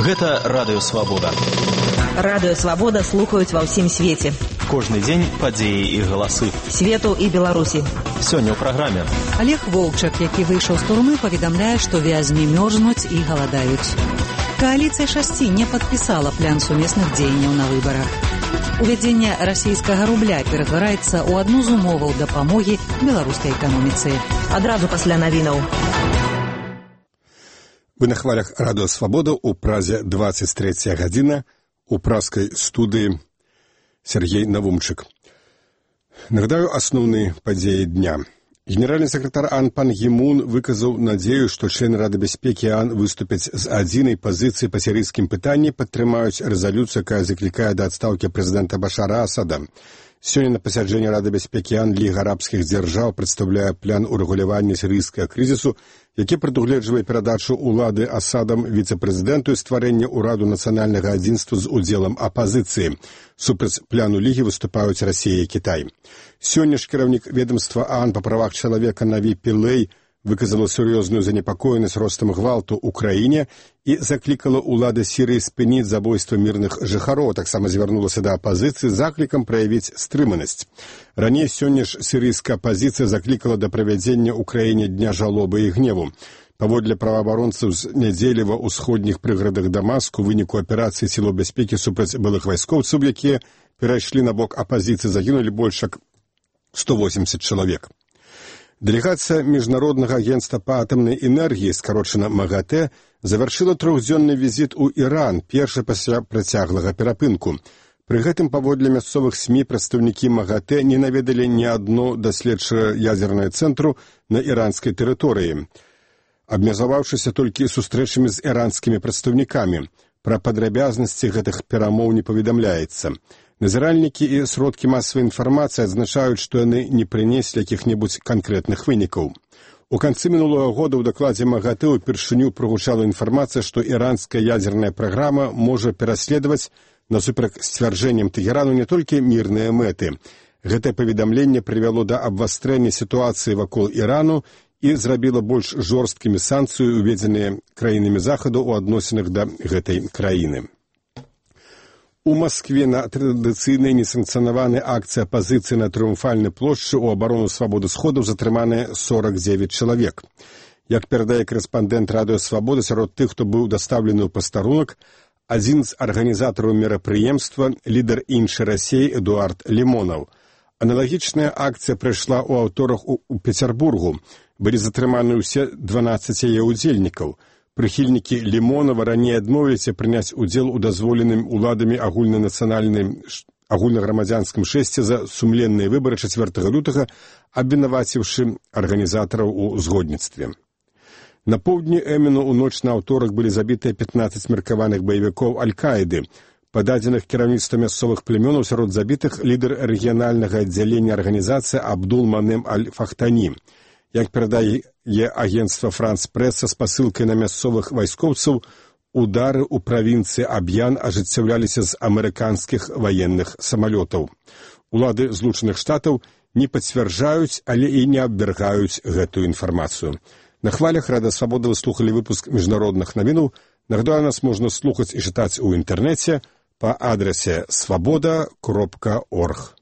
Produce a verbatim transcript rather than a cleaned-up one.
Гэта Радыё Свабода. Радыё Свабода слухаюць ва ўсім свеце. Кожны дзень падзеі і галасы. Свету і Беларусі. Сёння ў праграме. Олег Волчак, які выйшаў з турмы, паведамляе, што вязні мёрзнуць і галадаюць. Коаліцыя шасці не падпісала план сумесных дзеянняў на выбарах. Увядзенне расійскага рубля ператвараецца ў адну з умоваў дапамогі беларускай эканоміцы. Адразу пасля навінаў. Вы на хвалях Радыё Свабода, у празе двадцать третья гадзіна, у праскай студыі Сергей Навумчык. Нагадаю асноўныя падзеі дня. Генеральны сакратар АН Пан Гі Мун выказаў надзею, што члены Рады бяспекі АН выступяць з адзінай пазіцыі па сірыйскім пытанні, падтрымаюць рэзалюцыю, якая заклікае да адстаўкі прэзідэнта Башара Асада. Сёння на пасяджэнні Рады бяспекі АН Ліга арабскіх дзяржаў прадстаўляе план урэгулявання сірыйскага крызісу, які прадугледжвае перадачу ўлады Асадам віцэ-прэзідэнту і стварэнне ўраду нацыянальнага адзінства з удзелам апазіцыі. Супраць пляну Лігі выступаюць Расія і Кітай. Сёння ж кіраўнік ведомства АН па правах чалавека Наві Пілэй выказала сур'ёзную занепакоенасць ростам гвалту ў краіне і заклікала ўлады Сірыі спыніць забойства мірных жыхароў, таксама звярнулася да апазіцыі з заклікам праявіць стрыманасць. Раней сёння ж сірыйская апазіцыя заклікала да правядзення ў краіне дня жалобы і гневу. Паводле праваабаронцаў з нядзелі ва ўсходніх прыгарадах Дамаску у выніку аперацыі сілаў бяспекі супраць былых вайскоўцаў, якія перайшлі на бок апазіцыі, загінулі больш як сто восемьдесят чалавек. Дэлегацыя Міжнароднага агентства па атамнай энергіі, скарочана МАГАТЭ, завяршыла трохдзённы візіт у Іран, першы пасля працяглага перапынку. Пры гэтым, паводле мясцовых СМІ, прадстаўнікі МАГАТЭ не наведалі ні адно даследчае ядзернае цэнтру на іранскай тэрыторыі, абмежаваўшыся толькі сустрэчамі з іранскімі прадстаўнікамі. Пра падрабязнасці гэтых перамоў не паведамляецца. Назіральнікі і сродкі масавай інфармацыі адзначаюць, што яны не прынеслі якіх-небудзь канкрэтных вынікаў. У канцы мінулага года ў дакладзе МАГАТЭ упершыню прагучала інфармацыя, што іранская ядзерная праграма можа пераследаваць насуперак сцвярджэнням Тэхерану не толькі мірныя мэты. Гэтае паведамленне прывяло да абвастрэння сітуацыі вакол Ірану і зрабіла больш жорсткімі санкцыі, уведзеныя краінамі захаду ў адносінах да гэтай краіны. У Маскве на традыцыйнай несанкцыянаванай акцыі апазіцыі на Трыумфальнай плошчы ў абарону свабоды сходаў затрыманыя сорок девять чалавек. Як перадае корэспандэнт Радыё Свабода, сярод тых, хто быў дастаўлены ў пастарунак, адзін з арганізатараў мерапрыемства, лідар іншай Расіі Эдуард Лімонаў. Аналагічная акцыя прайшла ў аўторак у Пецярбургу. Былі затрыманы ўсе дванаццаць яе ўдзельнікаў. Прыхільнікі Лімонава раней адмовіліся прыняць удзел у дазволеным уладамі агульнанацыянальным агульнаграмадзянскім шэсце за сумленныя выбары чацвёртага лютага, абвінаваціўшы арганізатараў у згодніцтве. На поўдні Эмену ў ноч на аўторак былі забітыя пятнаццаць меркаваных баевікоў Аль-Каіды. Па дадзеных кіраўніцтва мясцовых племёнаў сярод забітых лідар рэгіянальнага аддзялення арганізацыі Абдул Манем Аль-Фахтані. Як перадае агентства Франс Прэс са спасылкай на мясцовых вайскоўцаў, удары ў правінцыі Аб'ян ажыццяўляліся з амерыканскіх ваенных самалётаў. Улады Злучаных Штатаў не пацвярджаюць, але і не абвяргаюць гэтую інфармацыю. На хвалях Радыё Свабода вы слухалі выпуск міжнародных навінаў. Нагадаю, нас можна слухаць і чытаць у інтэрнэце па адрасе свабода кропка орг.